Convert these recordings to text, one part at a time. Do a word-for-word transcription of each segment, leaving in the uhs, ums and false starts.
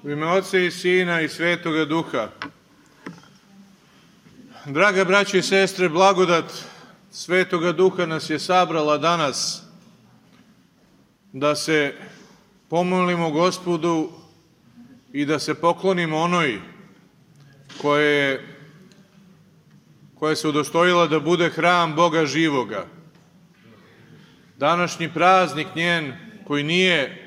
U ime Oca i Sina i Svetoga Duha. Draga braćo i sestre, blagodat Svetoga Duha nas je sabrala danas da se pomolimo Gospodu i da se poklonimo onoj koje, koja se udostojila da bude hram Boga živoga. Današnji praznik njen, koji nije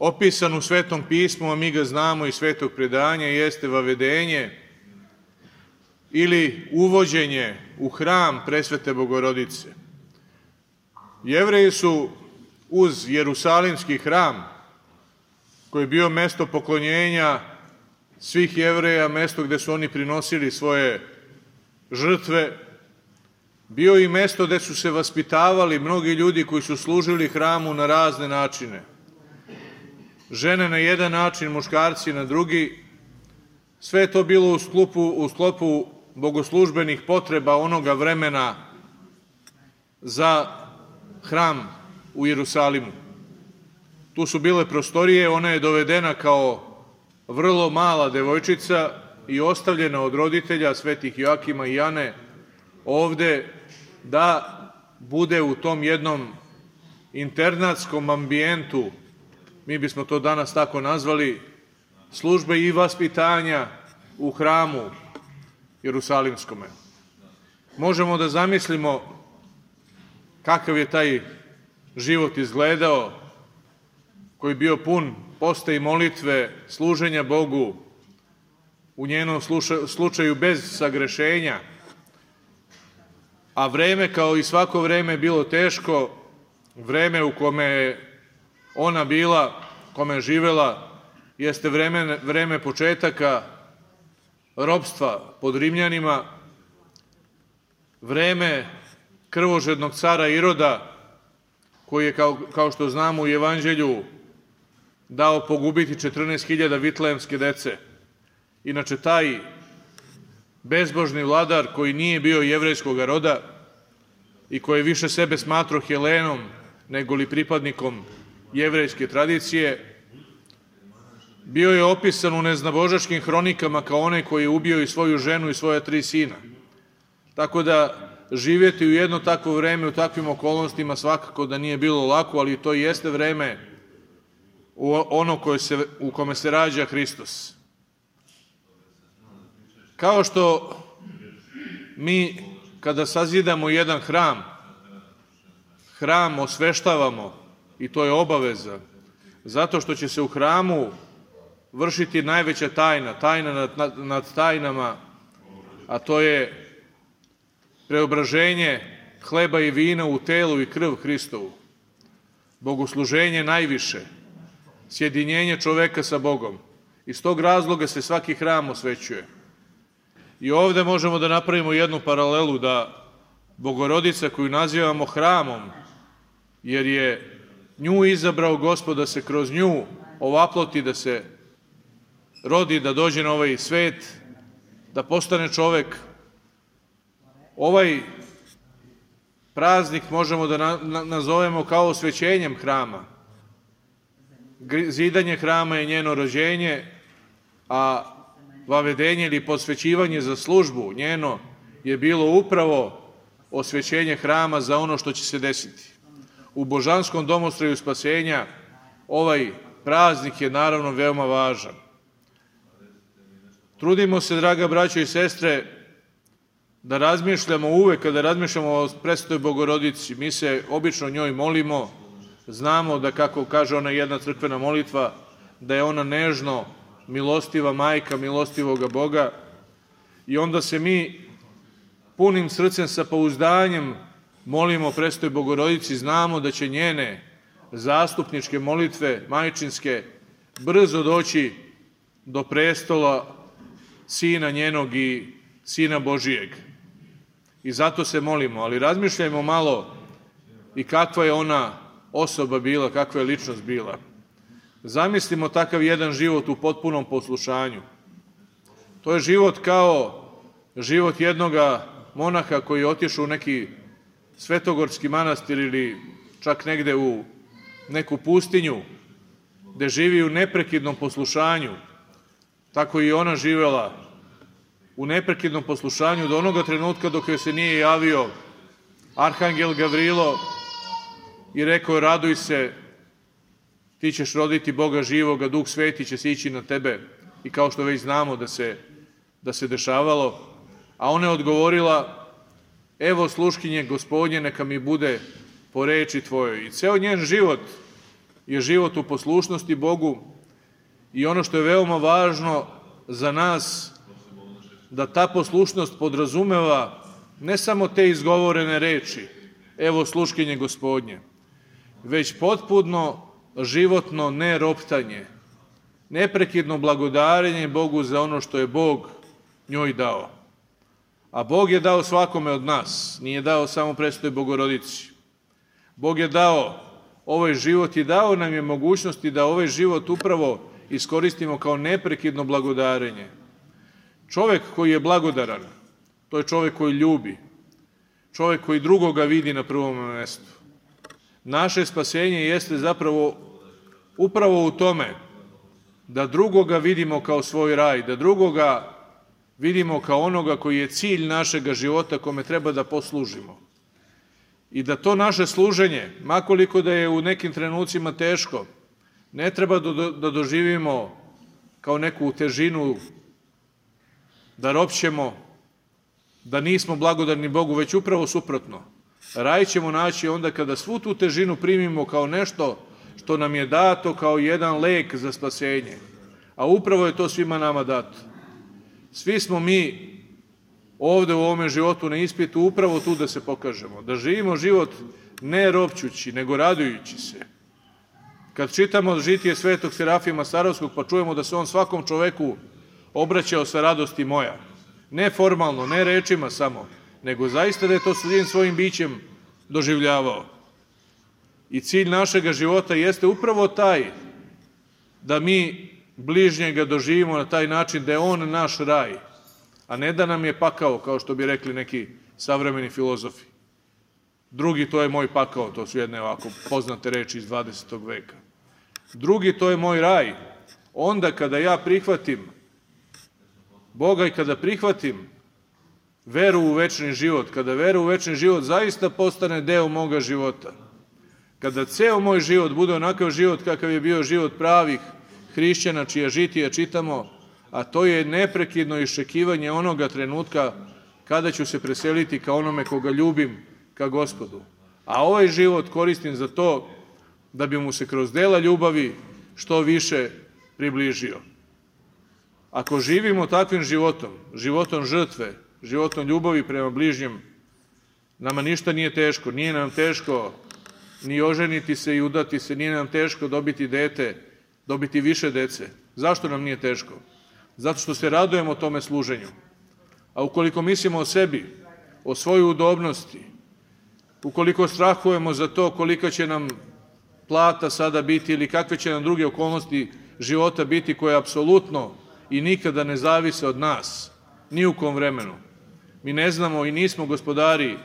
opisan u Svetom pismu, a mi ga znamo iz Svetog predanja, jeste vavedenje ili uvođenje u hram Presvete Bogorodice. Jevreji su uz Jerusalimski hram, koji je bio mesto poklonjenja svih Jevreja, mesto gde su oni prinosili svoje žrtve, bio i mesto gde su se vaspitavali mnogi ljudi koji su služili hramu na razne načine. Žene na jedan način, muškarci na drugi. Sve je to bilo u sklopu, u sklopu bogoslužbenih potreba onoga vremena za hram u Jerusalimu. Tu su bile prostorije, ona je dovedena kao vrlo mala devojčica i ostavljena od roditelja svetih Joakima i Jane ovde da bude u tom jednom internatskom ambijentu, mi bismo to danas tako nazvali, službe i vaspitanja u hramu Jerusalimskome. Možemo da zamislimo kakav je taj život izgledao, koji je bio pun posta i molitve, služenja Bogu, u njenom slučaju bez sagrešenja, a vreme kao i svako vreme je bilo teško, vreme u kome je ona bila, kome je živela, jeste vreme, vreme početaka ropstva pod Rimljanima, vreme krvožednog cara Iroda, koji je, kao, kao što znamo u Evanđelju, dao pogubiti četrnaest hiljada vitlejemske dece. Inače, taj bezbožni vladar koji nije bio jevrejskog roda i koji je više sebe smatrao Helenom nego li pripadnikom jevrejske tradicije, bio je opisan u neznabožačkim hronikama kao onaj koji je ubio i svoju ženu i svoja tri sina. Tako da živjeti u jedno takvo vreme, u takvim okolnostima svakako da nije bilo lako, ali to jeste vreme ono koje se, u kome se rađa Hristos. Kao što mi kada sazidamo jedan hram, hram osveštavamo, i to je obaveza, zato što će se u hramu vršiti najveća tajna, tajna nad, nad, nad tajnama, a to je preobraženje hleba i vina u telu i krv Hristovu, bogosluženje najviše, sjedinjenje čoveka sa Bogom. Iz tog razloga se svaki hram osvećuje. I ovde možemo da napravimo jednu paralelu da Bogorodica koju nazivamo hramom, jer je nju izabrao Gospod da se kroz nju ovaploti, da se rodi, da dođe na ovaj svet, da postane čovek. Ovaj praznik možemo da na, na, nazovemo kao osvećenjem hrama. Zidanje hrama je njeno rođenje, a vavedenje ili posvećivanje za službu njeno je bilo upravo osvećenje hrama za ono što će se desiti. U božanskom domostroju spasenja ovaj praznik je naravno veoma važan. Trudimo se, draga braćo i sestre, da razmišljamo uvek, kada razmišljamo o Presvetoj Bogorodici, mi se obično njoj molimo, znamo da, kako kaže ona jedna crkvena molitva, da je ona nežno milostiva majka milostivoga Boga, i onda se mi punim srcem sa pouzdanjem molimo Presvetoj Bogorodici, znamo da će njene zastupničke molitve majčinske brzo doći do prestola Sina njenog i Sina Božijeg. I zato se molimo, ali razmišljajmo malo i kakva je ona osoba bila, kakva je ličnost bila. Zamislimo takav jedan život u potpunom poslušanju. To je život kao život jednoga monaha koji je otišao u neki svetogorski manastir ili čak negde u neku pustinju, gde živi u neprekidnom poslušanju, tako i ona živela u neprekidnom poslušanju do onoga trenutka dok joj se nije javio Arhangel Gavrilo i rekao: raduj se, ti ćeš roditi Boga živoga, Duh Sveti će sići na tebe, i kao što već znamo da se, da se dešavalo. A ona je odgovorila: evo sluškinje Gospodnje, neka mi bude po reči tvojoj. I ceo njen život je život u poslušnosti Bogu, i ono što je veoma važno za nas, da ta poslušnost podrazumeva ne samo te izgovorene reči, evo sluškinje Gospodnje, već potpuno životno neroptanje, neprekidno blagodarenje Bogu za ono što je Bog njoj dao. A Bog je dao svakome od nas, nije dao samo Presvetoj Bogorodici. Bog je dao ovaj život i dao nam je mogućnosti da ovaj život upravo iskoristimo kao neprekidno blagodarenje. Čovek koji je blagodaran, to je čovek koji ljubi, čovek koji drugoga vidi na prvom mestu. Naše spasenje jeste zapravo upravo u tome da drugoga vidimo kao svoj raj, da drugoga vidimo kao onoga koji je cilj našega života kome treba da poslužimo. I da to naše služenje, makoliko da je u nekim trenucima teško, ne treba da doživimo kao neku težinu, da ropćemo, da nismo blagodarni Bogu, već upravo suprotno. Raj ćemo naći onda kada svu tu težinu primimo kao nešto što nam je dato kao jedan lek za spasenje. A upravo je to svima nama dato. Svi smo mi ovde u ovome životu na ispitu upravo tu da se pokažemo, da živimo život ne ropćući, nego radujući se. Kad čitamo žitije svetog Serafima Sarovskog, pa čujemo da se on svakom čoveku obraćao sa radosti moja. Ne formalno, ne rečima samo, nego zaista da je to svim svojim bićem doživljavao. I cilj našega života jeste upravo taj da mi bližnjega doživimo na taj način da je on naš raj, a ne da nam je pakao, kao što bi rekli neki savremeni filozofi. Drugi, to je moj pakao, to su jedne ovako poznate reči iz dvadesetog veka. Drugi, to je moj raj. Onda kada ja prihvatim Boga i kada prihvatim veru u večni život, kada vera u večni život zaista postane deo moga života, kada ceo moj život bude onakav život kakav je bio život pravih hrišćana, čija žitija čitamo, a to je neprekidno iščekivanje onoga trenutka kada ću se preseliti ka onome koga ljubim, ka Gospodu. A ovaj život koristim za to da bi mu se kroz dela ljubavi što više približio. Ako živimo takvim životom, životom žrtve, životom ljubavi prema bližnjem, nama ništa nije teško. Nije nam teško ni oženiti se i udati se, nije nam teško dobiti dete, dobiti više dece. Zašto nam nije teško? Zato što se radujemo tome služenju. A ukoliko mislimo o sebi, o svojoj udobnosti, ukoliko strahujemo za to kolika će nam plata sada biti ili kakve će nam druge okolnosti života biti koje apsolutno i nikada ne zavise od nas, ni u kom vremenu. Mi ne znamo i nismo gospodari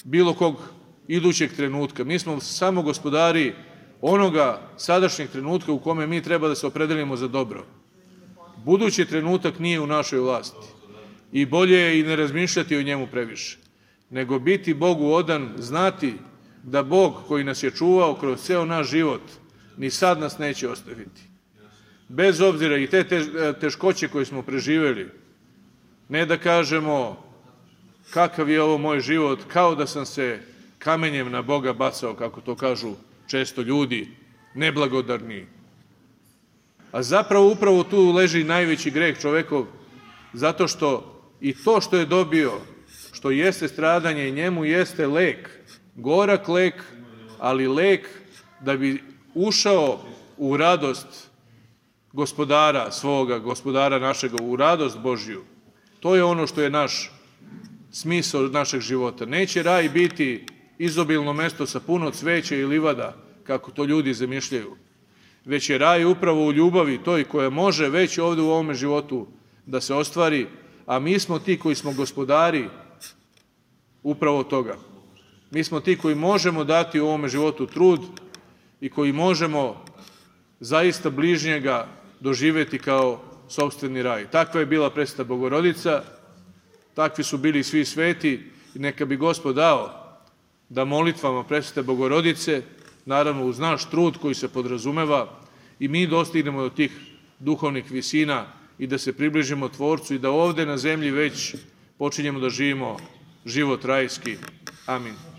bilo kog idućeg trenutka. Mi smo samo gospodari onoga sadašnjeg trenutka u kome mi treba da se opredelimo za dobro. Budući trenutak nije u našoj vlasti i bolje je i ne razmišljati o njemu previše, nego biti Bogu odan, znati da Bog koji nas je čuvao kroz ceo naš život ni sad nas neće ostaviti. Bez obzira i te teškoće koje smo preživeli, ne da kažemo kakav je ovo moj život, kao da sam se kamenjem na Boga bacao, kako to kažu često ljudi, neblagodarni. A zapravo upravo tu leži najveći greh čovekov, zato što i to što je dobio, što jeste stradanje, njemu jeste lek, gorak lek, ali lek da bi ušao u radost gospodara svoga, gospodara našega, u radost Božju. To je ono što je naš smisao našeg života. Neće raj biti izobilno mesto sa puno cveća i livada, kako to ljudi zamišljaju, već je raj upravo u ljubavi toj koja može već ovde u ovome životu da se ostvari, a mi smo ti koji smo gospodari upravo toga. Mi smo ti koji možemo dati u ovome životu trud i koji možemo zaista bližnjega doživeti kao sopstveni raj. Takva je bila Presveta Bogorodica, takvi su bili svi sveti i neka bi Gospod dao da molitvama Presvete Bogorodice, naravno uz naš trud koji se podrazumeva, i mi dostignemo do tih duhovnih visina i da se približimo Tvorcu i da ovde na zemlji već počinjemo da živimo život rajski. Amin.